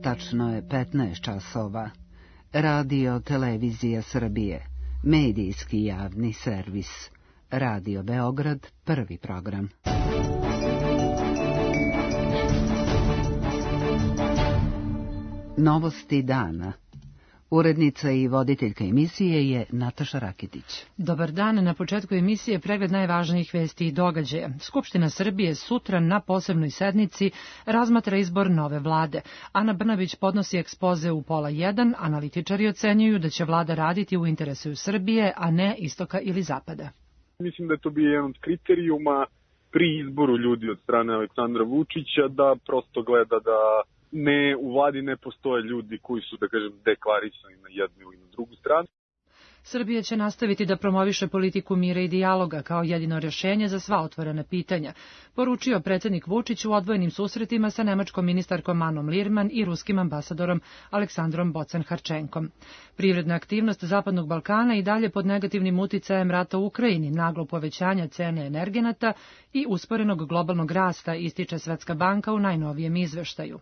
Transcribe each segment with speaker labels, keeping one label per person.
Speaker 1: Tačno je 15 časova. Radio Televizija Srbije, medijski javni servis. Radio Beograd, prvi program. Novosti dana. Urednica i voditeljka emisije je Nataša Rakitić.
Speaker 2: Dobar dan, na početku emisije pregled najvažnijih vesti i događaja. Skupština Srbije sutra na posebnoj sednici razmatra izbor nove vlade. Ana Brnabić podnosi ekspoze u 12:30, analitičari ocenjuju da će vlada raditi u interesu Srbije, a ne istoka ili zapada.
Speaker 3: Mislim da je to bio jedan od kriterijuma pri izboru ljudi od strane Aleksandra Vučića, da prosto gleda da u vladi ne postoje ljudi koji su, da kažem, deklarisani na jednu ili na drugu stranu.
Speaker 2: Srbija će nastaviti da promoviše politiku mira i dijaloga kao jedino rješenje za sva otvorena pitanja, poručio predsjednik Vučić u odvojenim susretima sa nemačkom ministarkom Anom Lirman i ruskim ambasadorom Aleksandrom Bocan-Harčenkom. Privredna aktivnost Zapadnog Balkana i dalje pod negativnim uticajem rata u Ukrajini, naglo povećanja cene energenata i usporenog globalnog rasta, ističe Svetska banka u najnovijem izveštaju.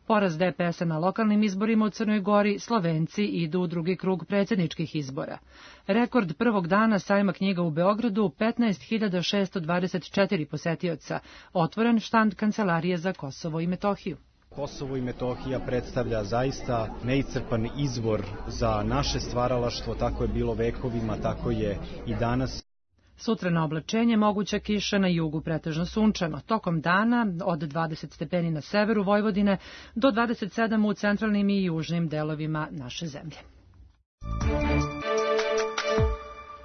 Speaker 2: Poraz DPS-a na lokalnim izborima u Crnoj Gori, Slovenci idu u drugi krug predsjedničkih izbora. Rekord prvog dana sajma knjiga u Beogradu, 15.624 posetioca, otvoren štand Kancelarije za Kosovo i Metohiju.
Speaker 4: Kosovo i Metohija predstavlja zaista neiscrpan izvor za naše stvaralaštvo, tako je bilo vekovima, tako je i danas.
Speaker 2: Sutra na oblačenje moguća kiša, na jugu pretežno sunčano. Tokom dana od 20 stepeni na severu Vojvodine do 27 u centralnim i južnim delovima naše zemlje.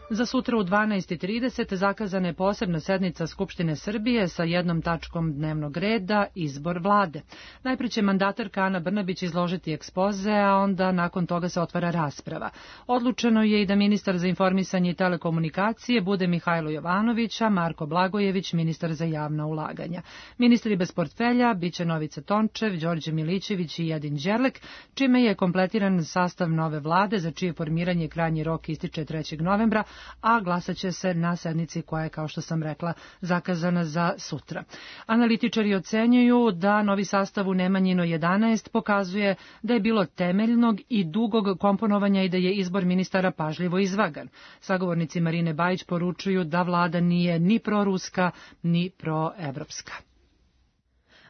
Speaker 2: Za sutra u 12:30 zakazana je posebna sednica Skupštine Srbije sa jednom tačkom dnevnog reda, izbor vlade. Najprije će mandatarka Ana Brnabić izložiti ekspoze, a onda nakon toga se otvara rasprava. Odlučeno je i da ministar za informisanje i telekomunikacije bude Mihajlo Jovanović, a Marko Blagojević ministar za javna ulaganja. Ministri bez portfelja biće Novica Tončev, Đorđe Milićević i Jedin Đerlek, čime je kompletiran sastav nove vlade, za čije formiranje krajnji rok ističe 3. novembra, a glasat će se na sednici koja je, kao što sam rekla, zakazana za sutra. Analitičari ocenjuju da novi sastav u Nemanjino 11 pokazuje da je bilo temeljnog i dugog komponovanja i da je izbor ministara pažljivo izvagan. Sagovornici Marine Bajić poručuju da vlada nije ni proruska, ni proevropska.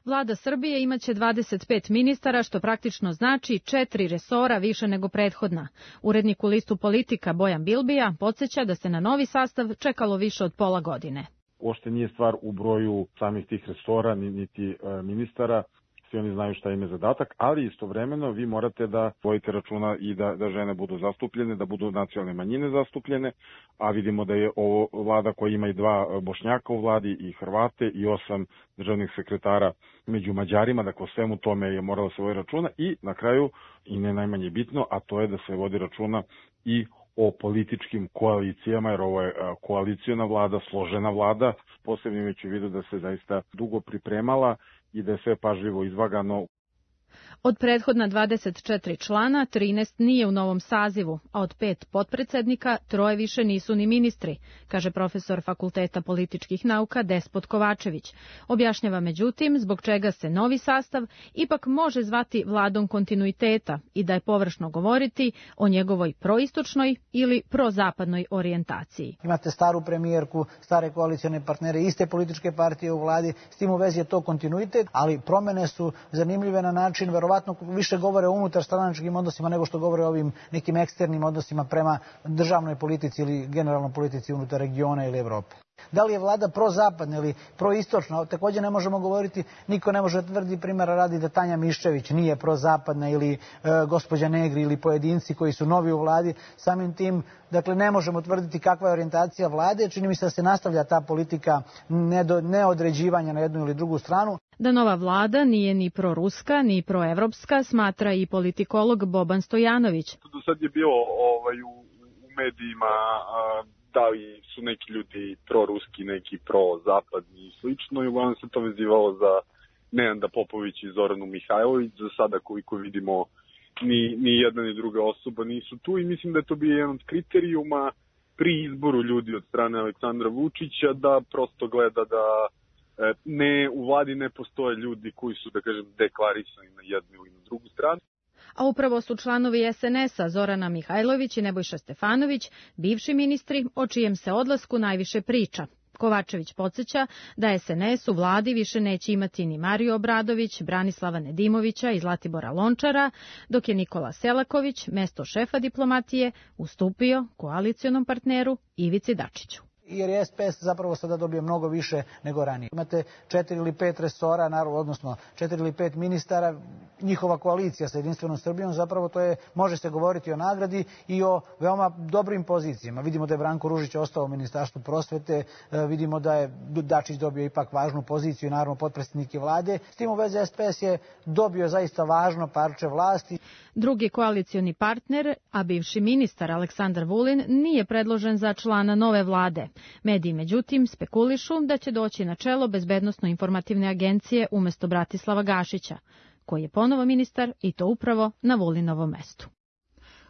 Speaker 5: Vlada Srbije imaće 25 ministara, što praktično znači 4 resora više nego prethodna. Urednik u listu Politika Bojan Bilbija podsjeća da se na novi sastav čekalo više od pola godine.
Speaker 6: Uopšte nije stvar u broju samih tih resora, niti ministara. Svi oni znaju šta im je zadatak, ali istovremeno vi morate da vodite računa i da žene budu zastupljene, da budu nacionalne manjine zastupljene, a vidimo da je ovo vlada koja ima i 2 Bošnjaka u vladi i Hrvate i 8 državnih sekretara među Mađarima, dakle o svemu tome je moralo se voditi računa i na kraju, i ne najmanje bitno, a to je da se vodi računa i o političkim koalicijama, jer ovo je koalicijona vlada, složena vlada, posebno imajući u vidu da se zaista dugo pripremala i da je sve pažljivo izvagano.
Speaker 5: Od prethodna 24 člana, 13 nije u novom sazivu, a od 5 potpredsednika 3 više nisu ni ministri, kaže profesor Fakulteta političkih nauka Despot Kovačević. Objašnjava međutim zbog čega se novi sastav ipak može zvati vladom kontinuiteta i da je površno govoriti o njegovoj proistočnoj ili prozapadnoj orijentaciji.
Speaker 7: Imate staru premijerku, stare koalicione partnere, iste političke partije u vladi, s tim u vezi je to kontinuitet, ali promene su zanimljive na način, verovatno više govore o unutarstranačkim odnosima nego što govore o ovim nekim eksternim odnosima prema državnoj politici ili generalnoj politici unutar regiona ili Evrope. Da li je vlada prozapadna ili proistočna, također ne možemo govoriti, niko ne može tvrdi primjera radi da Tanja Miščević nije prozapadna ili gospođa Negri ili pojedinci koji su novi u vladi, samim tim, dakle ne možemo tvrditi kakva je orijentacija vlade, čini mi se da se nastavlja ta politika neodređivanja na jednu ili drugu stranu.
Speaker 5: Da nova vlada nije ni proruska, ni proevropska, smatra i politikolog Boban Stojanović.
Speaker 3: Do sad je bilo u medijima da li su neki ljudi proruski, neki prozapadni i slično, i uglavnom se to vezivalo za Nenada Popović i Zoranu Mihajlović. Za sada, koliko vidimo, ni jedna ni druga osoba nisu tu i mislim da je to bio jedan od kriterijuma pri izboru ljudi od strane Aleksandra Vučića, da prosto gleda da u vladi ne postoje ljudi koji su, da kažem, deklarisani na jednu ili na drugu stranu.
Speaker 5: A upravo su članovi SNS-a Zorana Mihajlović i Nebojša Stefanović bivši ministri o čijem se odlasku najviše priča. Kovačević podsjeća da SNS u vladi više neće imati ni Mariju Obradović, Branislava Nedimovića i Zlatibora Lončara, dok je Nikola Selaković mesto šefa diplomatije ustupio koalicionom partneru Ivici Dačiću.
Speaker 7: Jer je SPS zapravo sada dobije mnogo više nego ranije. Imate 4 ili 5 resora, odnosno 4 ili 5 ministara, njihova koalicija sa Jedinstvenom Srbijom, zapravo to je, može se govoriti o nagradi i o veoma dobrim pozicijama. Vidimo da je Branko Ružić ostao u Ministarstvu prosvete, vidimo da je Dačić dobio ipak važnu poziciju, naravno potpredsjednike vlade. S tim u vezi SPS je dobio zaista važno parče vlasti.
Speaker 5: Drugi koalicioni partner, a bivši ministar Aleksandar Vulin, nije predložen za člana nove vlade. Mediji, međutim, spekulišu da će doći na čelo Bezbednosno-informativne agencije umjesto Bratislava Gašića, koji je ponovo ministar i to upravo na Vulinovom mestu.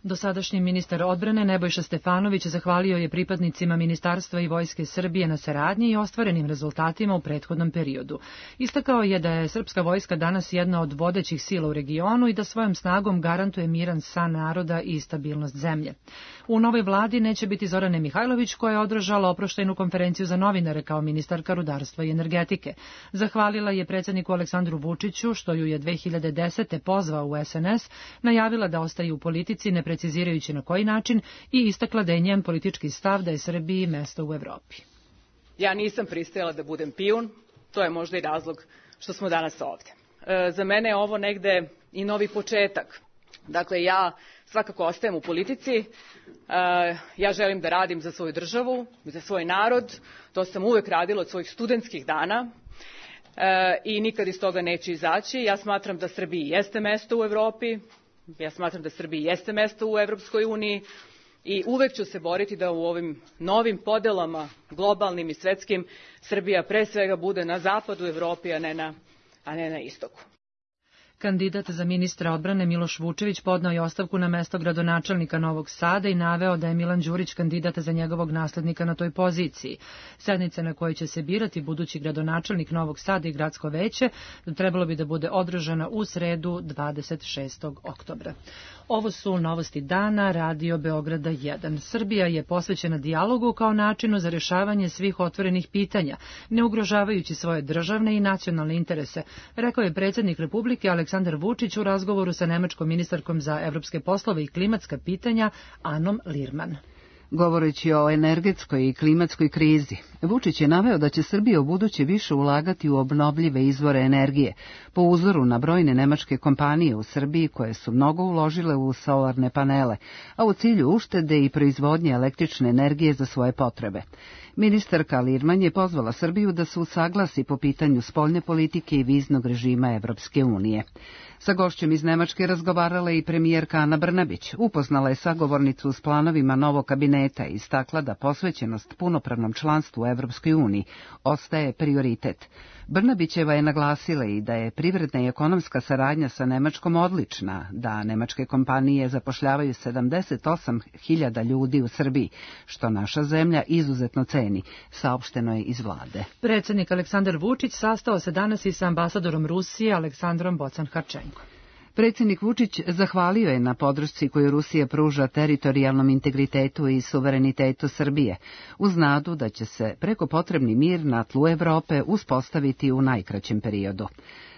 Speaker 2: Dosadašnji ministar odbrane Nebojša Stefanović zahvalio je pripadnicima Ministarstva i Vojske Srbije na saradnji i ostvarenim rezultatima u prethodnom periodu. Istakao je da je srpska vojska danas jedna od vodećih sila u regionu i da svojom snagom garantuje miran san naroda i stabilnost zemlje. U novoj vladi neće biti Zorane Mihajlović, koja je održala oproštajnu konferenciju za novinare kao ministarka rudarstva i energetike. Zahvalila je predsjedniku Aleksandru Vučiću, što ju je 2010. pozvao u SNS, najavila da ostaje u politici, ne precizirajući na koji način, i istakla da je njen politički stav da je Srbiji mesto u Evropi.
Speaker 8: Ja nisam pristajala da budem pijun, to je možda i razlog što smo danas ovdje. Za mene je ovo negde i novi početak. Dakle, ja svakako ostajem u politici, ja želim da radim za svoju državu, za svoj narod, to sam uvek radila od svojih studentskih dana i nikad iz toga neću izaći. Ja smatram da Srbiji jeste mesto u Evropi, ja smatram da Srbiji jeste mesto u Evropskoj uniji i uvek ću se boriti da u ovim novim podelama, globalnim i svetskim, Srbija pre svega bude na zapadu Evropi, a ne na istoku.
Speaker 2: Kandidat za ministra odbrane Miloš Vučević podneo je ostavku na mesto gradonačelnika Novog Sada i naveo da je Milan Đurić kandidat za njegovog naslednika na toj poziciji. Sednica na kojoj će se birati budući gradonačelnik Novog Sada i gradsko veće trebalo bi da bude održana u sredu 26. oktobra. Ovo su novosti dana Radio Beograda 1. Srbija je posvećena dijalogu kao načinu za rješavanje svih otvorenih pitanja, ne ugrožavajući svoje državne i nacionalne interese, rekao je predsjednik Republike Aleksandar Vučić u razgovoru sa nemačkom ministarkom za evropske poslove i klimatska pitanja Anom Lirman.
Speaker 1: Govoreći o energetskoj i klimatskoj krizi, Vučić je naveo da će Srbija ubuduće više ulagati u obnovljive izvore energije, po uzoru na brojne nemačke kompanije u Srbiji koje su mnogo uložile u solarne panele, a u cilju uštede i proizvodnje električne energije za svoje potrebe. Ministarka Lirman je pozvala Srbiju da se usaglasi po pitanju spoljne politike i viznog režima Evropske unije. Sa gošćem iz Nemačke razgovarala i premijerka Ana Brnabić. Upoznala je sagovornicu s planovima novog kabineta i istakla da posvećenost punopravnom članstvu u Evropskoj uniji ostaje prioritet. Brnabićeva je naglasila i da je privredna i ekonomska saradnja sa Nemačkom odlična, da nemačke kompanije zapošljavaju 78.000 ljudi u Srbiji, što naša zemlja izuzetno ceni, saopšteno je iz vlade.
Speaker 2: Predsjednik Aleksandar Vučić sastao se danas i sa ambasadorom Rusije Aleksandrom Bocan-Harčenko.
Speaker 1: Predsjednik Vučić zahvalio je na podršci koju Rusija pruža teritorijalnom integritetu i suverenitetu Srbije, uz nadu da će se preko potrebni mir na tlu Evrope uspostaviti u najkraćem periodu.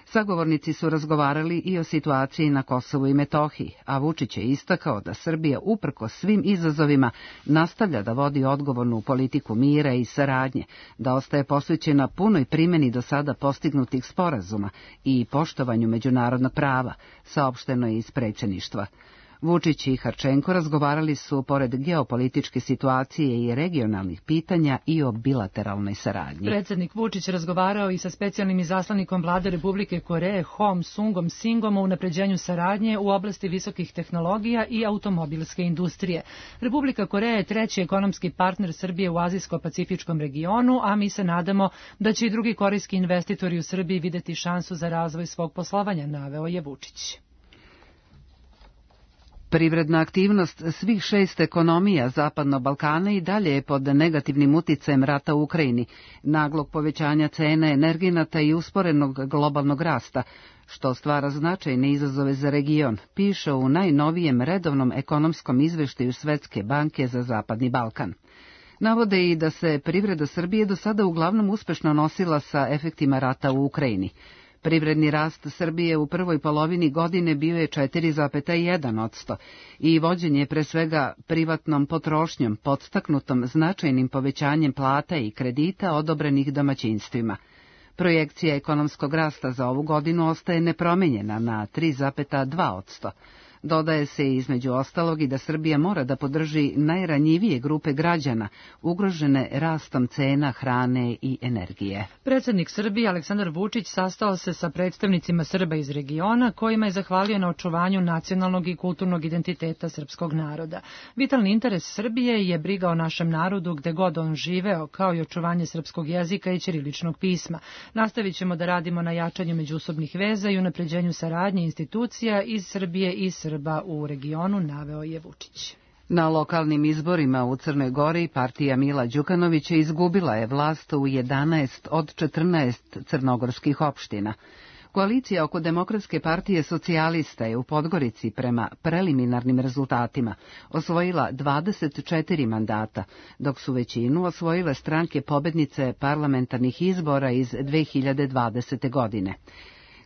Speaker 1: Sagovornici su razgovarali i o situaciji na Kosovu i Metohiji, a Vučić je istakao da Srbija uprkos svim izazovima nastavlja da vodi odgovornu politiku mira i saradnje, da ostaje posvećena punoj primjeni do sada postignutih sporazuma i poštovanju međunarodnog prava, saopšteno je iz predsjedništva. Vučić i Harčenko razgovarali su pored geopolitičke situacije i regionalnih pitanja i o bilateralnoj saradnji.
Speaker 2: Predsjednik Vučić razgovarao i sa specijalnim izaslanikom vlade Republike Koreje Hom Sungom Singom o unapređenju saradnje u oblasti visokih tehnologija i automobilske industrije. Republika Koreja je treći ekonomski partner Srbije u azijsko-pacifičkom regionu, a mi se nadamo da će i drugi korejski investitori u Srbiji vidjeti šansu za razvoj svog poslovanja, naveo je Vučić.
Speaker 1: Privredna aktivnost svih 6 ekonomija Zapadnog Balkana i dalje je pod negativnim uticajem rata u Ukrajini, naglog povećanja cena energenata i usporenog globalnog rasta, što stvara značajne izazove za region, piše u najnovijem redovnom ekonomskom izveštaju Svetske banke za Zapadni Balkan. Navode i da se privreda Srbije do sada uglavnom uspešno nosila sa efektima rata u Ukrajini. Privredni rast Srbije u prvoj polovini godine bio je 4,1% i vođen je pre svega privatnom potrošnjom podstaknutom značajnim povećanjem plata i kredita odobrenih domaćinstvima. Projekcija ekonomskog rasta za ovu godinu ostaje nepromenjena na 3,2%. Dodaje se između ostalog i da Srbija mora da podrži najranjivije grupe građana, ugrožene rastom cena hrane i energije.
Speaker 2: Predsjednik Srbije Aleksandar Vučić sastao se sa predstavnicima Srba iz regiona, kojima je zahvalio na očuvanju nacionalnog i kulturnog identiteta srpskog naroda. Vitalni interes Srbije je briga o našem narodu gde god on živeo, kao i očuvanje srpskog jezika i ćiriličnog pisma. Nastavit ćemo da radimo na jačanju međusobnih veza i unapređenju saradnje institucija iz Srbije i Srba u regionu, naveo je Vučić.
Speaker 1: Na lokalnim izborima u Crnoj Gori partija Mila Đukanovića izgubila je vlast u 11 od 14 crnogorskih opština. Koalicija oko Demokratske partije socijalista je u Podgorici prema preliminarnim rezultatima osvojila 24 mandata, dok su većinu osvojile stranke pobednice parlamentarnih izbora iz 2020. godine.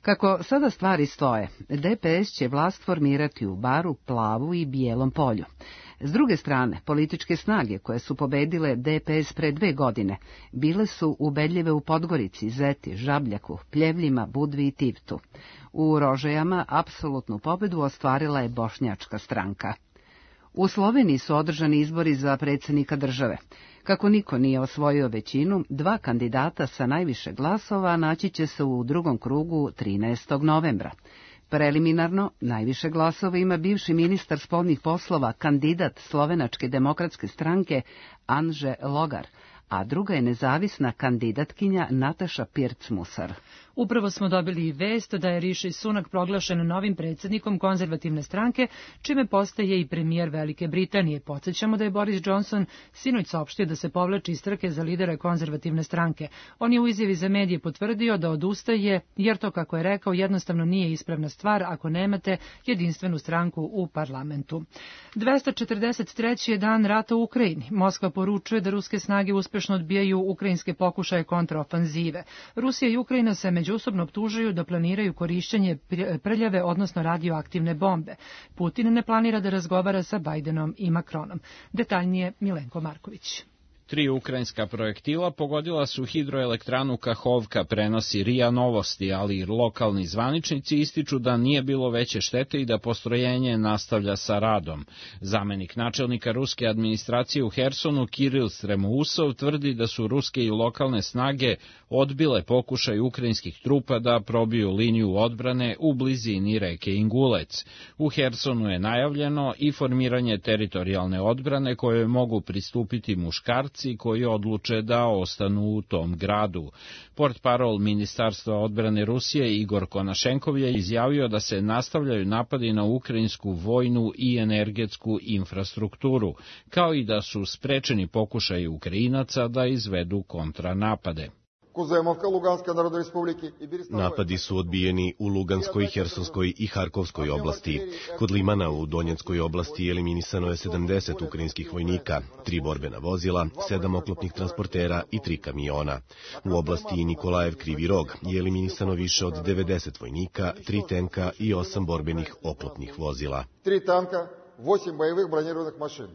Speaker 1: Kako sada stvari stoje, DPS će vlast formirati u Baru, Plavu i Bijelom Polju. S druge strane, političke snage koje su pobedile DPS pre 2 godine bile su ubedljive u Podgorici, Zeti, Žabljaku, Pljevljima, Budvi i Tivtu. U Rožajama apsolutnu pobedu ostvarila je Bošnjačka stranka. U Sloveniji su održani izbori za predsjednika države. Kako niko nije osvojio većinu, 2 kandidata sa najviše glasova naći će se u drugom krugu 13. novembra. Preliminarno, najviše glasova ima bivši ministar spoljnih poslova, kandidat Slovenačke demokratske stranke Anže Logar, a druga je nezavisna kandidatkinja Nataša Pirc-Musar.
Speaker 2: Upravo smo dobili i vest da je Riši Sunak proglašen novim predsjednikom konzervativne stranke, čime postaje i premijer Velike Britanije. Podsjećamo da je Boris Johnson sinoć saopštio da se povlači iz trke za lidera konzervativne stranke. On je u izjavi za medije potvrdio da odustaje, jer to, kako je rekao, jednostavno nije ispravna stvar ako nemate jedinstvenu stranku u parlamentu. 243. je dan rata u Ukrajini. Moskva poručuje da ruske snage uspešno odbijaju ukrajinske pokušaje kontraofanzive. Rusija i Ukrajina se međusobno optužuju da planiraju korišćenje prljave, odnosno radioaktivne bombe. Putin ne planira da razgovara sa Bajdenom i Makronom. Detaljnije Milenko Marković.
Speaker 9: 3 ukrajinska projektila pogodila su hidroelektranu Kahovka, prenosi RIA Novosti, ali i lokalni zvaničnici ističu da nije bilo veće štete i da postrojenje nastavlja sa radom. Zamenik načelnika ruske administracije u Hersonu Kiril Stremousov tvrdi da su ruske i lokalne snage odbile pokušaj ukrajinskih trupa da probiju liniju odbrane u blizini reke Ingulec. U Hersonu je najavljeno i formiranje teritorijalne odbrane koje mogu pristupiti muškarci koji odluče da ostanu u tom gradu. Portparol Ministarstva odbrane Rusije Igor Konašenkov je izjavio da se nastavljaju napadi na ukrajinsku vojnu i energetsku infrastrukturu, kao i da su sprečeni pokušaji Ukrajinaca da izvedu kontranapade.
Speaker 10: Napadi su odbijeni u Luganskoj, Hersonskoj i Harkovskoj oblasti. Kod Limana u Donjeckoj oblasti eliminisano je 70 ukrajinskih vojnika, 3 borbena vozila, 7 oklopnih transportera i 3 kamiona. U oblasti Nikolajev Krivi Rog je eliminisano više od 90 vojnika, 3 tenka i 8 borbenih oklopnih vozila.
Speaker 11: 3 tanka, 8 bojevih bronirovanih mašina.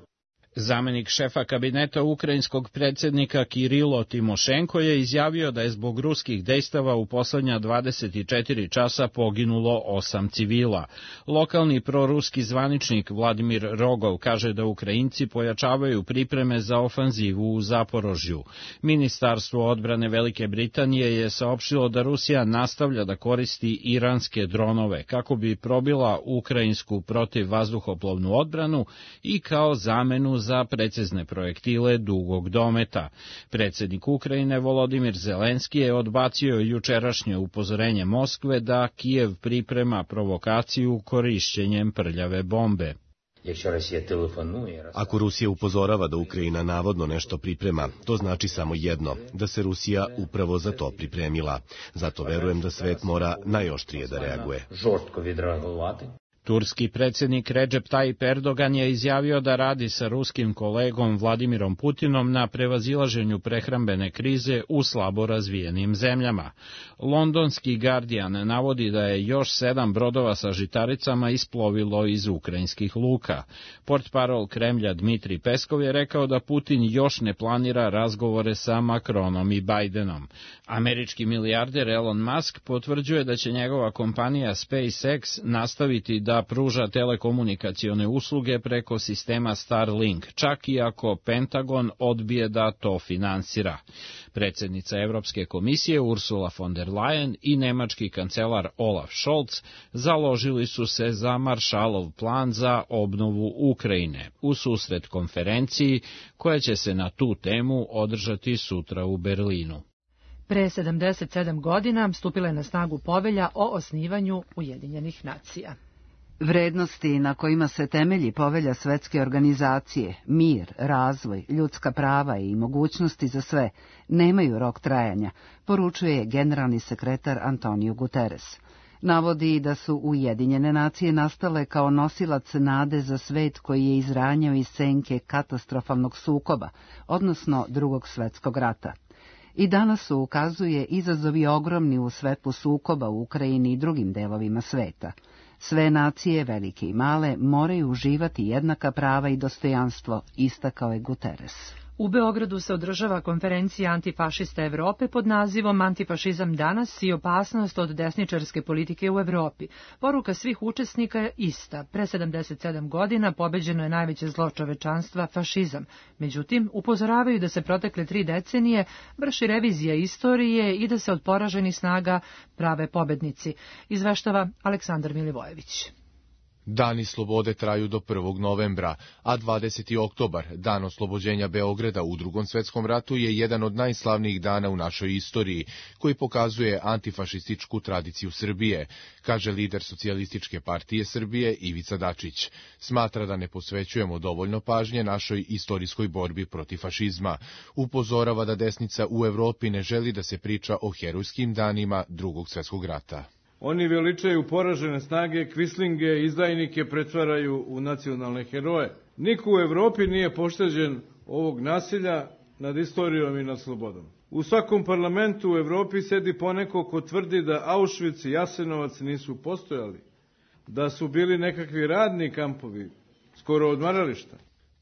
Speaker 9: Zamenik šefa kabineta ukrajinskog predsjednika Kirilo Timošenko je izjavio da je zbog ruskih dejstava u poslednja 24 časa poginulo 8 civila. Lokalni proruski zvaničnik Vladimir Rogov kaže da Ukrajinci pojačavaju pripreme za ofanzivu u Zaporožju. Ministarstvo odbrane Velike Britanije je saopštilo da Rusija nastavlja da koristi iranske dronove kako bi probila ukrajinsku protivvazduhoplovnu odbranu i kao zamenu za precizne projektile dugog dometa. Predsjednik Ukrajine Volodimir Zelenski je odbacio jučerašnje upozorenje Moskve da Kijev priprema provokaciju korišćenjem prljave bombe.
Speaker 10: Ako Rusija upozorava da Ukrajina navodno nešto priprema, to znači samo jedno, da se Rusija upravo za to pripremila. Zato verujem da svet mora najoštrije da reaguje.
Speaker 9: Turski predsjednik Recep Tayyip Erdogan je izjavio da radi sa ruskim kolegom Vladimirom Putinom na prevazilaženju prehrambene krize u slabo razvijenim zemljama. Londonski Guardian navodi da je još 7 brodova sa žitaricama isplovilo iz ukrajinskih luka. Portparol Kremlja Dmitrij Peskov je rekao da Putin još ne planira razgovore sa Macronom i Bidenom. Američki milijarder Elon Musk potvrđuje da će njegova kompanija SpaceX nastaviti da pruža telekomunikacione usluge preko sistema Starlink, čak i ako Pentagon odbije da to finansira. Predsjednica Evropske komisije Ursula von der Leyen i nemački kancelar Olaf Scholz založili su se za Maršalov plan za obnovu Ukrajine u susret konferenciji koja će se na tu temu održati sutra u Berlinu.
Speaker 2: Pre 77 godina stupila je na snagu povelja o osnivanju Ujedinjenih nacija.
Speaker 1: Vrednosti na kojima se temelji povelja Svetske organizacije, mir, razvoj, ljudska prava i mogućnosti za sve, nemaju rok trajanja, poručuje generalni sekretar Antonio Guterres. Navodi da su Ujedinjene nacije nastale kao nosilac nade za svet koji je izranjao iz senke katastrofalnog sukoba, odnosno Drugog svjetskog rata. I danas su, ukazuje, izazovi ogromni u svetlu sukoba u Ukrajini i drugim delovima sveta. Sve nacije, velike i male, moraju uživati jednaka prava i dostojanstvo, istakao je Guterres.
Speaker 2: U Beogradu se održava konferencija antifašista Evrope pod nazivom Antifašizam danas i opasnost od desničarske politike u Evropi. Poruka svih učesnika je ista. Pre 77 godina pobeđeno je najveće zlo čovečanstva, fašizam. Međutim, upozoravaju da se protekle 3 decenije vrši revizija istorije i da se od poraženih snaga prave pobednici. Izveštava Aleksandar Milivojević.
Speaker 12: Dani slobode traju do 1. novembra, a 20. oktobar, dan oslobođenja Beograda u Drugom svetskom ratu, je jedan od najslavnijih dana u našoj istoriji, koji pokazuje antifašističku tradiciju Srbije, kaže lider Socijalističke partije Srbije Ivica Dačić. Smatra da ne posvećujemo dovoljno pažnje našoj istorijskoj borbi protiv fašizma. Upozorava da desnica u Evropi ne želi da se priča o herojskim danima Drugog svjetskog rata.
Speaker 13: Oni veličaju poražene snage, kvislinge, izdajnike pretvaraju u nacionalne heroje. Niko u Evropi nije pošteđen ovog nasilja nad istorijom i nad slobodom. U svakom parlamentu u Evropi sedi poneko ko tvrdi da Auschwitz i Jasenovac nisu postojali, da su bili nekakvi radni kampovi, skoro odmarališta.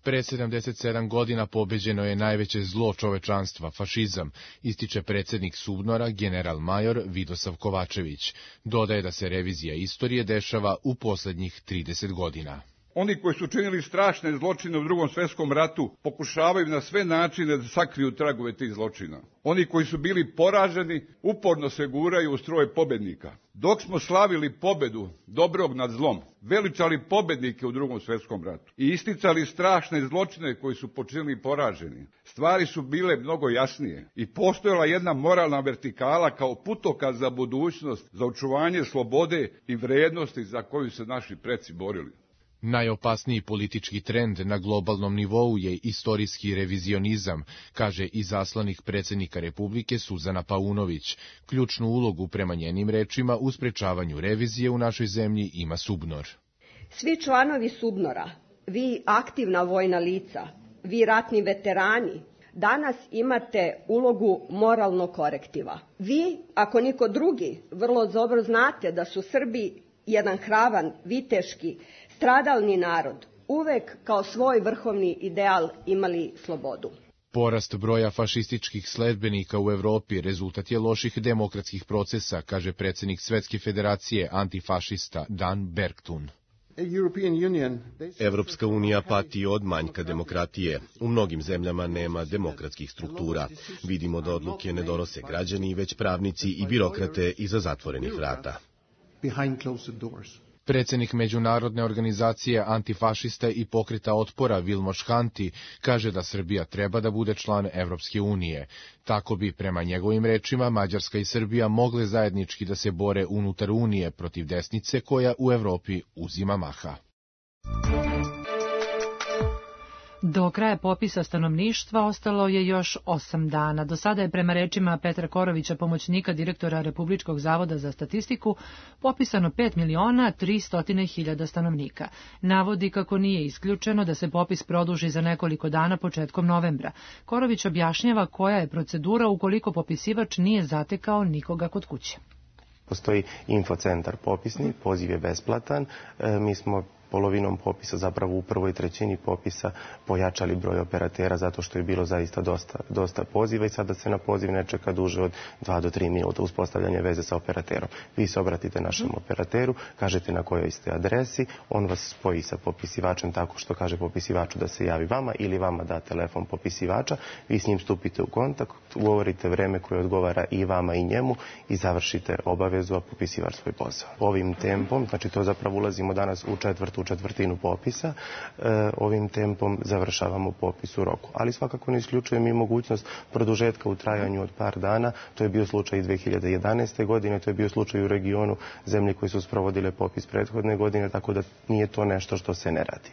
Speaker 12: Pre 77 godina pobeđeno je najveće zlo čovečanstva, fašizam, ističe predsjednik SUBNOR-a, general major Vidosav Kovačević. Dodaje da se revizija istorije dešava u posljednjih 30 godina.
Speaker 14: Oni koji su činili strašne zločine u Drugom svjetskom ratu pokušavaju na sve načine da sakriju tragove tih zločina. Oni koji su bili poraženi uporno se guraju u stroj pobednika. Dok smo slavili pobedu dobrog nad zlom, veličali pobednike u Drugom svjetskom ratu i isticali strašne zločine koji su počinili poraženi, stvari su bile mnogo jasnije i postojala jedna moralna vertikala kao putokaz za budućnost, za očuvanje slobode i vrijednosti za koju se naši preci borili.
Speaker 12: Najopasniji politički trend na globalnom nivou je istorijski revizionizam, kaže izaslanik predsjednika Republike Suzana Paunović. Ključnu ulogu prema njenim rečima u sprečavanju revizije u našoj zemlji ima SUBNOR.
Speaker 15: Svi članovi SUBNOR-a, vi aktivna vojna lica, vi ratni veterani, danas imate ulogu moralnog korektiva. Vi, ako niko drugi, vrlo dobro znate da su Srbi jedan hravan, viteški, stradalni narod, uvek kao svoj vrhovni ideal imali slobodu.
Speaker 12: Porast broja fašističkih sledbenika u Evropi rezultat je loših demokratskih procesa, kaže predsjednik Svetske federacije antifašista Dan Bergtun.
Speaker 10: Evropska unija pati od manjka demokratije. U mnogim zemljama nema demokratskih struktura. Vidimo da odluke ne donose građani, već pravnici i birokrate iza zatvorenih vrata.
Speaker 12: Predsjednik Međunarodne organizacije antifašista i pokreta otpora Vilmos Hanti kaže da Srbija treba da bude član Evropske unije. Tako bi, prema njegovim rečima, Mađarska i Srbija mogle zajednički da se bore unutar unije protiv desnice koja u Evropi uzima maha.
Speaker 2: Do kraja popisa stanovništva ostalo je još 8 dana. Do sada je prema rečima Petra Korovića, pomoćnika direktora Republičkog zavoda za statistiku, popisano 5.300.000 stanovnika. Navodi kako nije isključeno da se popis produži za nekoliko dana početkom novembra. Korović objašnjava koja je procedura ukoliko popisivač nije zatekao nikoga kod kuće.
Speaker 16: Postoji infocentar popisni, poziv je besplatan. Mi smo polovinom popisa, zapravo u prvoj trećini popisa, pojačali broj operatera zato što je bilo zaista dosta poziva i sada se na poziv ne čeka duže od 2 do 3 minuta uspostavljanje veze sa operaterom. Vi se obratite našem operateru, kažete na kojoj ste adresi, on vas spoji sa popisivačem tako što kaže popisivaču da se javi vama ili vama da telefon popisivača, vi s njim stupite u kontakt, ugovorite vreme koje odgovara i vama i njemu i završite obavezu, a popisivač svoj posao. Ovim tempom, znači to zapravo ulazimo danas u četvrtinu popisa, ovim tempom završavamo popis u roku. Ali svakako ne isključujem i mogućnost produžetka u trajanju od par dana. To je bio slučaj i 2011. godine, to je bio slučaj u regionu zemlje koje su sprovodile popis prethodne godine, tako da nije to nešto što se ne radi.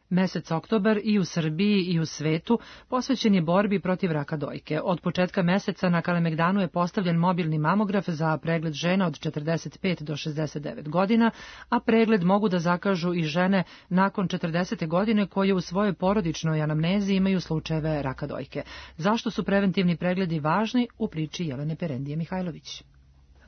Speaker 2: Mesec oktobar i u Srbiji i u svetu posvećen je borbi protiv raka dojke. Od početka meseca na Kalemegdanu je postavljen mobilni mamograf za pregled žena od 45 do 69 godina, a pregled mogu da zakažu i žene nakon 40. godine koje u svojoj porodičnoj anamnezi imaju slučajeve raka dojke. Zašto su preventivni pregledi važni? U priči Jelene Perendije Mihajlović.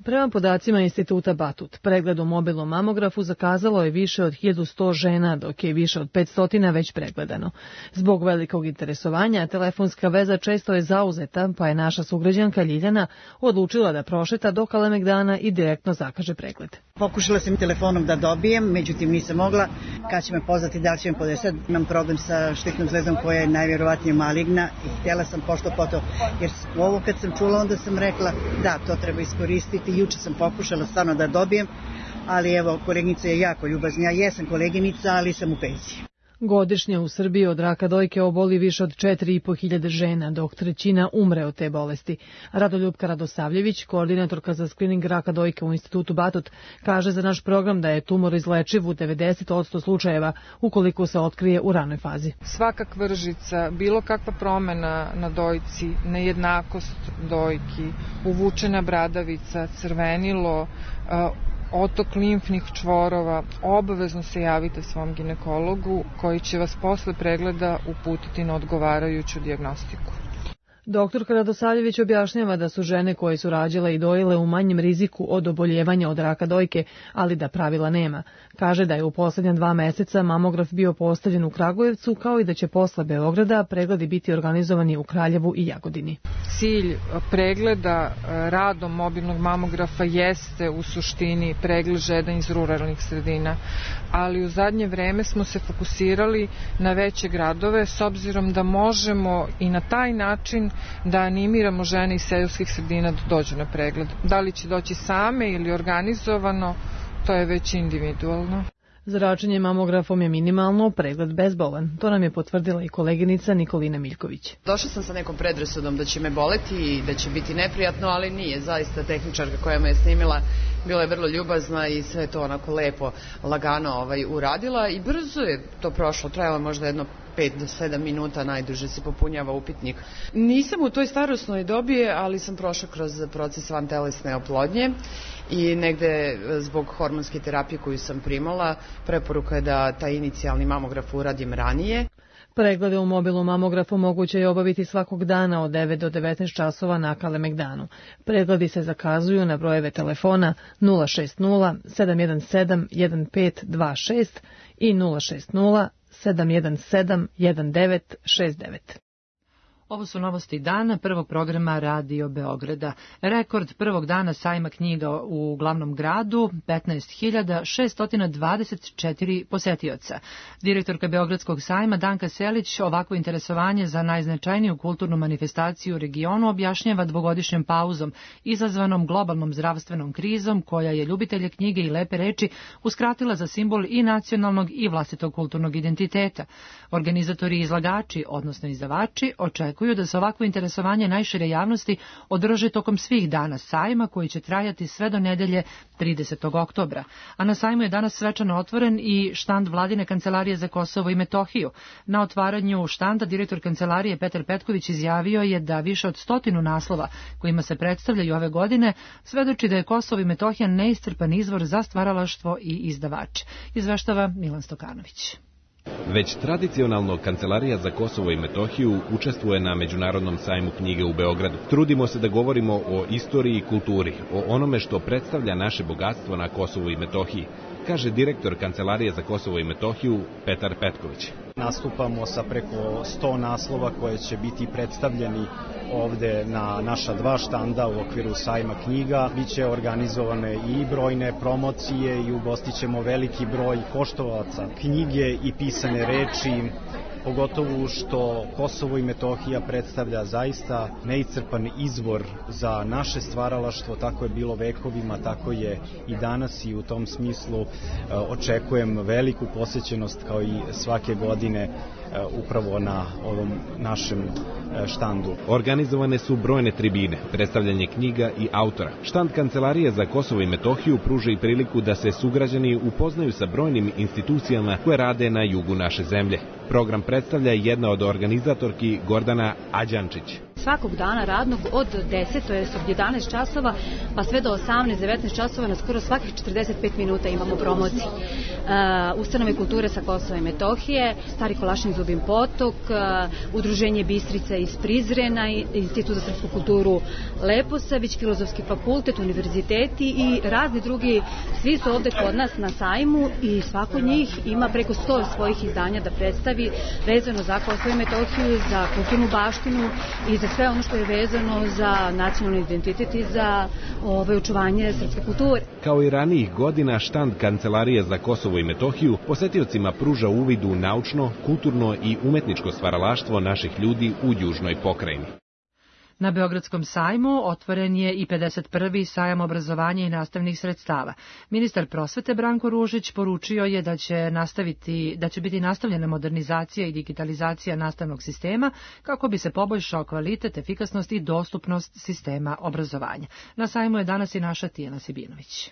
Speaker 17: Prema podacima Instituta Batut, pregled u mobilnom mamografu zakazalo je više od 1100 žena, dok je više od 500 već pregledano. Zbog velikog interesovanja, telefonska veza često je zauzeta, pa je naša sugrađanka Ljiljana odlučila da prošeta do Kalemegdana i direktno zakaže pregled.
Speaker 18: Pokušala sam telefonom da dobijem, međutim nisam mogla. Kad će me pozvati, da li će me podesati, imam problem sa štitnom zvezdom koja je najvjerovatnije maligna i htjela sam pošto poto, jer ovo kad sam čula onda sam rekla da, to treba iskoristiti. Juče sam pokušala stvarno da dobijem, ali evo, koleginica je jako ljubazna. Ja jesam koleginica, ali sam u penziji.
Speaker 17: Godišnje u Srbiji od raka dojke oboli više od 4.500 žena, dok trećina umre od te bolesti. Radoljupka Radosavljević, koordinatorka za skrining raka dojke u Institutu Batut, kaže za naš program da je tumor izlečiv u 90% slučajeva ukoliko se otkrije u ranoj fazi.
Speaker 19: Svaka kvržica, bilo kakva promjena na dojci, nejednakost dojki, uvučena bradavica, crvenilo, otok limfnih čvorova, obavezno se javite svom ginekologu koji će vas posle pregleda uputiti na odgovarajuću dijagnostiku.
Speaker 17: Doktorka Radosavljević objašnjava da su žene koje su rađale i dojile u manjem riziku od oboljevanja od raka dojke, ali da pravila nema. Kaže da je u posljednja 2 meseca mamograf bio postavljen u Kragujevcu, kao i da će posle Beograda pregledi biti organizovani u Kraljevu i Jagodini.
Speaker 19: Cilj pregleda radom mobilnog mamografa jeste u suštini pregled žena iz ruralnih sredina, ali u zadnje vreme smo se fokusirali na veće gradove s obzirom da možemo i na taj način da animiramo žene iz seoskih sredina da dođu na pregled. Da li će doći same ili organizovano, to je već individualno.
Speaker 17: Zračenje mamografom je minimalno, pregled bezbolan. To nam je potvrdila i koleginica Nikolina Miljković.
Speaker 20: Došla sam sa nekom predrasudom da će me boleti i da će biti neprijatno, ali nije. Zaista tehničarka koja me je snimila bila je vrlo ljubazna i sve to onako lepo, lagano uradila i brzo je to prošlo. Trajalo možda jedno 5 do 7 minuta, najduže se popunjava upitnik. Nisam u toj starosnoj dobi, ali sam prošla kroz proces vantelesne oplodnje i negde zbog hormonske terapije koju sam primala, preporuka je da taj inicijalni mamograf uradim ranije.
Speaker 17: Preglede u mobilnom mamografu moguće je obaviti svakog dana od 9 do 19 časova na Kalemegdanu. Pregledi se zakazuju na brojeve telefona 060 717 1526 i 060 717 1969.
Speaker 2: Ovo su novosti dana prvog programa Radio Beograda. Rekord prvog dana sajma knjiga u glavnom gradu, 15.624 posetioca. Direktorka Beogradskog sajma Danka Selić ovakvo interesovanje za najznačajniju kulturnu manifestaciju u regionu objašnjava dvogodišnjom pauzom, izazvanom globalnom zdravstvenom krizom, koja je ljubitelje knjige i lepe reči uskratila za simbol i nacionalnog i vlastitog kulturnog identiteta. Organizatori i izlagači, odnosno izdavači, očekuju očekuju da se ovakvo interesovanje najšire javnosti održi tokom svih dana sajma koji će trajati sve do nedelje 30. oktobra. A na sajmu je danas svečano otvoren i štand Vladine kancelarije za Kosovo i Metohiju. Na otvaranju štanda direktor kancelarije Petar Petković izjavio je da više od 100 naslova kojima se predstavljaju ove godine svedoči da je Kosovo i Metohija neiscrpan izvor za stvaralaštvo i izdavače. Izveštava Milan Stokanović.
Speaker 21: Već tradicionalno Kancelarija za Kosovo i Metohiju učestvuje na Međunarodnom sajmu knjige u Beogradu. Trudimo se da govorimo o istoriji i kulturi, o onome što predstavlja naše bogatstvo na Kosovu i Metohiji, kaže direktor Kancelarije za Kosovo i Metohiju Petar Petković.
Speaker 4: Nastupamo sa preko 100 naslova koje će biti predstavljeni ovde na naša 2 štanda u okviru sajma knjiga. Biće organizovane i brojne promocije i ugostićemo veliki broj poštovaca knjige i pisane reči, pogotovo što Kosovo i Metohija predstavlja zaista neiscrpan izvor za naše stvaralaštvo, tako je bilo vekovima, tako je i danas i u tom smislu očekujem veliku posećenost kao i svake godine upravo na ovom našem štandu.
Speaker 21: Organizovane su brojne tribine, predstavljanje knjiga i autora. Štand Kancelarije za Kosovo i Metohiju pruža i priliku da se sugrađani upoznaju sa brojnim institucijama koje rade na jugu naše zemlje. Program predstavlja jedna od organizatorki Gordana Ađančić.
Speaker 22: Svakog dana radnog od 10, to je od 11 časova, pa sve do 18-19 časova na skoro svakih 45 minuta imamo promociji. Ustanove kulture sa Kosova i Metohije, Stari Kolašin Zubin Potok, Udruženje Bistrica iz Prizrena, Institut za srpsku kulturu Leposavić, Filozofski fakultet, univerziteti i razni drugi. Svi su ovde kod nas na sajmu i svako od njih ima preko 100 svojih izdanja da predstavi vezano za Kosovo i Metohiju, za kulturnu baštinu i za sve ono što je vezano za nacionalni identitet i za očuvanje srpske kulture.
Speaker 21: Kao i ranijih godina, štand Kancelarije za Kosovo i Metohiju posetiocima pruža uvid u naučno, kulturno i umetničko stvaralaštvo naših ljudi u južnoj pokrajini.
Speaker 2: Na Beogradskom sajmu otvoren je i 51. sajam obrazovanja i nastavnih sredstava. Ministar prosvete Branko Ružić poručio je da će biti nastavljena modernizacija i digitalizacija nastavnog sistema kako bi se poboljšao kvalitet, efikasnost i dostupnost sistema obrazovanja. Na sajmu je danas i naša Tijana Sibinović.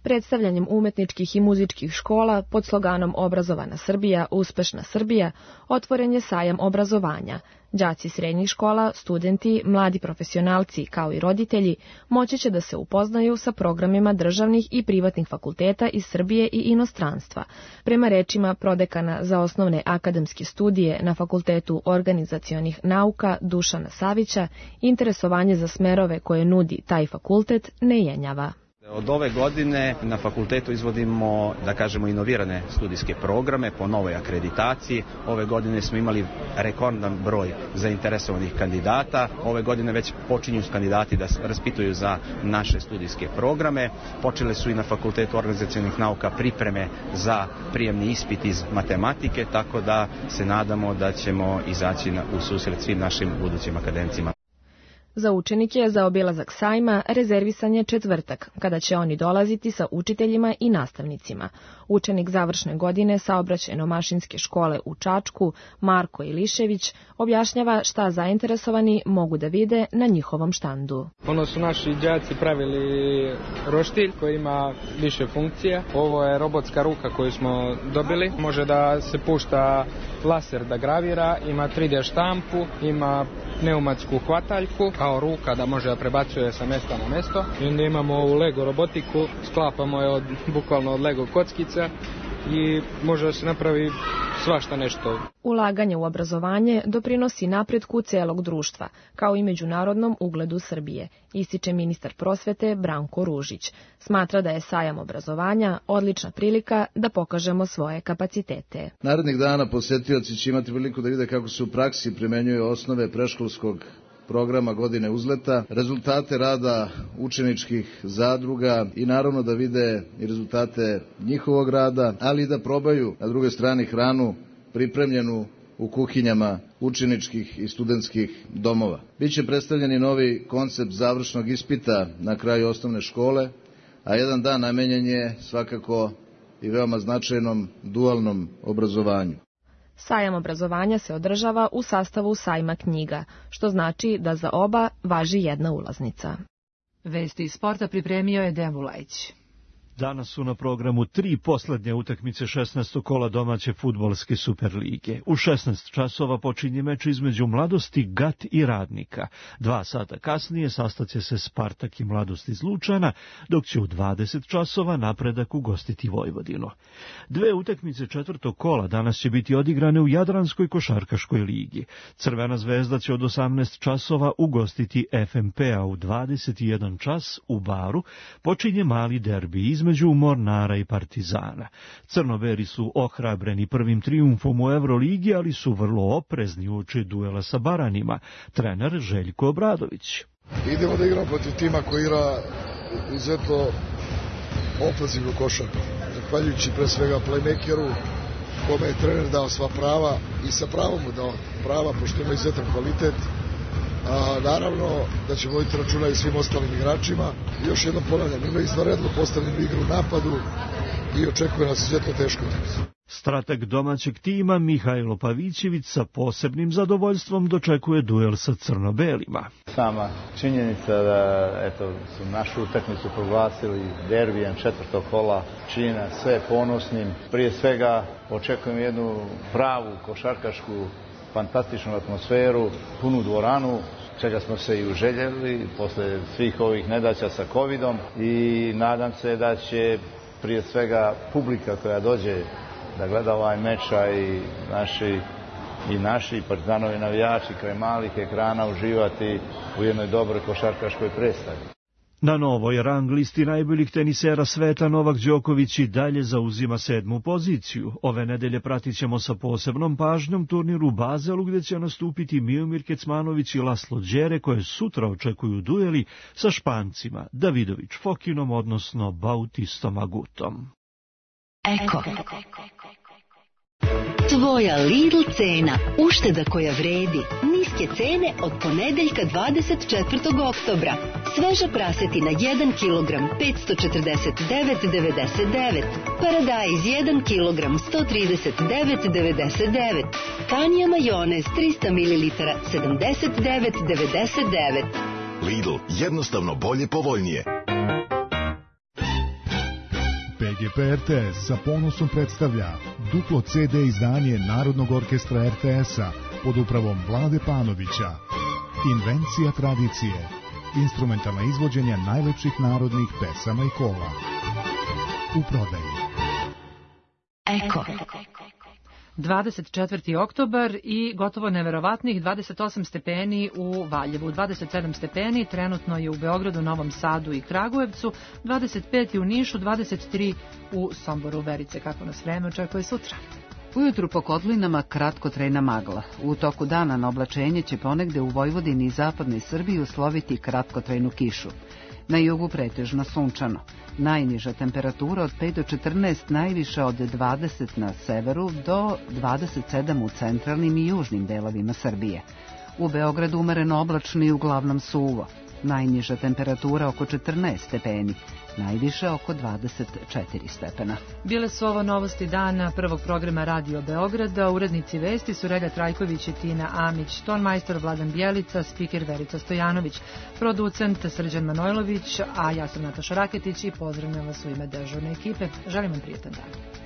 Speaker 23: Predstavljanjem umetničkih i muzičkih škola pod sloganom Obrazovana Srbija, uspešna Srbija, otvoren je sajam obrazovanja. Đaci srednjih škola, studenti, mladi profesionalci kao i roditelji moći će da se upoznaju sa programima državnih i privatnih fakulteta iz Srbije i inostranstva. Prema rečima prodekana za osnovne akademske studije na Fakultetu organizacionih nauka Dušana Savića, interesovanje za smerove koje nudi taj fakultet ne jenjava.
Speaker 24: Od ove godine na fakultetu izvodimo, da kažemo, inovirane studijske programe po novoj akreditaciji. Ove godine smo imali rekordan broj zainteresovanih kandidata. Ove godine već počinju kandidati da raspituju za naše studijske programe. Počele su i na Fakultetu organizacionih nauka pripreme za prijemni ispit iz matematike, tako da se nadamo da ćemo izaći u susret svim našim budućim akademicima.
Speaker 23: Za učenike za obilazak sajma rezervisan je četvrtak, kada će oni dolaziti sa učiteljima i nastavnicima. Učenik završne godine Saobraćajno-mašinske škole u Čačku, Marko Ilišević, objašnjava šta zainteresovani mogu da vide na njihovom štandu.
Speaker 25: Ono su naši đaci pravili roštilj koji ima više funkcija. Ovo je robotska ruka koju smo dobili. Može da se pušta laser da gravira, ima 3D štampu, ima pneumatsku hvataljku, kao ruka da može da prebacuje sa mesta na mesto. I onda imamo ovu Lego robotiku, sklapamo je bukvalno od Lego kockica i može da se napravi svašta nešto.
Speaker 23: Ulaganje u obrazovanje doprinosi napretku celog društva, kao i međunarodnom ugledu Srbije, ističe ministar prosvete Branko Ružić. Smatra da je sajam obrazovanja odlična prilika da pokažemo svoje kapacitete.
Speaker 26: Narednih dana posetioci će imati priliku da vide kako se u praksi primenjuju osnove predškolskog programa Godine uzleta, rezultate rada učeničkih zadruga i naravno da vide i rezultate njihovog rada, ali i da probaju na drugoj strani hranu pripremljenu u kuhinjama učeničkih i studentskih domova. Biće predstavljeni novi koncept završnog ispita na kraju osnovne škole, a jedan dan namenjen je svakako i veoma značajnom dualnom obrazovanju.
Speaker 23: Sajam obrazovanja se održava u sastavu sajma knjiga, što znači da za oba važi jedna ulaznica.
Speaker 2: Vesti iz sporta pripremio je Dejan Vulajić.
Speaker 3: Danas su na programu 3 poslednje utakmice 16. kola domaće fudbalske Superlige. U 16 časova počinje meč između Mladosti, GAT i Radnika. 2 sata kasnije sastaće se Spartak i Mladost iz Lučana, dok će u 20 časova Napredak ugostiti Vojvodinu. 2 utakmice 4. kola danas će biti odigrane u Jadranskoj košarkaškoj ligi. Crvena zvezda će od 18 časova ugostiti FMP-a u 21 čas u Baru. Počinje mali derbi između Mornara i Partizana. Crnoberi su ohrabreni prvim trijumfom u Evroligi, ali su vrlo oprezni uoči duela sa Baranima. Trener Željko Obradović.
Speaker 5: Idemo da igramo protiv tima koji igra izuzetno ofenzivnu košarku. Zahvaljujući pre svega playmakeru, kome je trener dao sva prava i sa pravom mu dao prava, pošto ima izuzetan kvalitet. Naravno da ćemo voditi računa i svim ostalim igračima. Još jednom ponavljam, ima izvanredno postavljenu igru u napadu i očekuje nas izuzetno teško.
Speaker 3: Strateg domaćeg tima Mihajlo Pavićević sa posebnim zadovoljstvom dočekuje duel sa crno-belima.
Speaker 6: Sama činjenica da su našu utakmicu proglasili derbijem 4. kola čini nas sve ponosnim. Prije svega očekujem jednu pravu košarkašku fantastičnu atmosferu, punu dvoranu, čega smo se i uželjeli posle svih ovih nedaća sa covidom i nadam se da će prije svega publika koja dođe da gleda ovaj meč i naši Partizanovi navijači kraj malih ekrana uživati u jednoj dobroj košarkaškoj predstavi.
Speaker 3: Na novoj rang listi najboljih tenisera sveta Novak Đoković i dalje zauzima 7. poziciju. Ove nedelje pratit ćemo sa posebnom pažnjom turnir u Bazelu gdje će nastupiti Miomir Kecmanović i Laslo Đere koje sutra očekuju dueli sa Špancima Davidović Fokinom odnosno Bautistom Agutom.
Speaker 7: Eko. Tvoja Lidl cena, ušteda koja vredi, niske cene od ponedeljka 24. oktobra. Sveža prasetina 1 kg 549,99, paradajz 1 kg 139,99, Kanija majonez 300 ml 79,99.
Speaker 8: Lidl, jednostavno bolje povoljnije.
Speaker 11: PGP RTS sa ponosom predstavlja duplo CD izdanje Narodnog orkestra RTS-a pod upravom Vlade Panovića. Invencija tradicije. Instrumentalna izvođenja najlepših narodnih pesama i kola. U prodaji.
Speaker 7: Eko.
Speaker 2: 24. oktobar i gotovo neverovatnih 28 stepeni u Valjevu, 27 stepeni trenutno je u Beogradu, Novom Sadu i Kragujevcu, 25 u Nišu, 23 u Somboru. Verice, kako nas vreme očekuje sutra?
Speaker 1: Ujutru po kotlinama kratkotrajna magla. U toku dana na oblačenje će ponegde u Vojvodini i zapadnoj Srbiji usloviti kratkotrajnu kišu. Na jugu pretežno sunčano. Najniža temperatura od 5 do 14, najviša od 20 na severu do 27 u centralnim i južnim delovima Srbije. U Beogradu umereno oblačno i uglavnom suvo. Najniža temperatura oko 14 stepeni, najviše oko 24 stepena.
Speaker 2: Bile su ovo novosti dana prvog programa Radio Beograda. Urednici vesti su Relja Trajković i Tina Amić, tonmajstor Vladan Bjelica, spiker Verica Stojanović, producent Srđan Manojlović, a ja sam Nataša Raketić i pozdravljam vas u ime dežurne ekipe. Želim vam prijetan dan.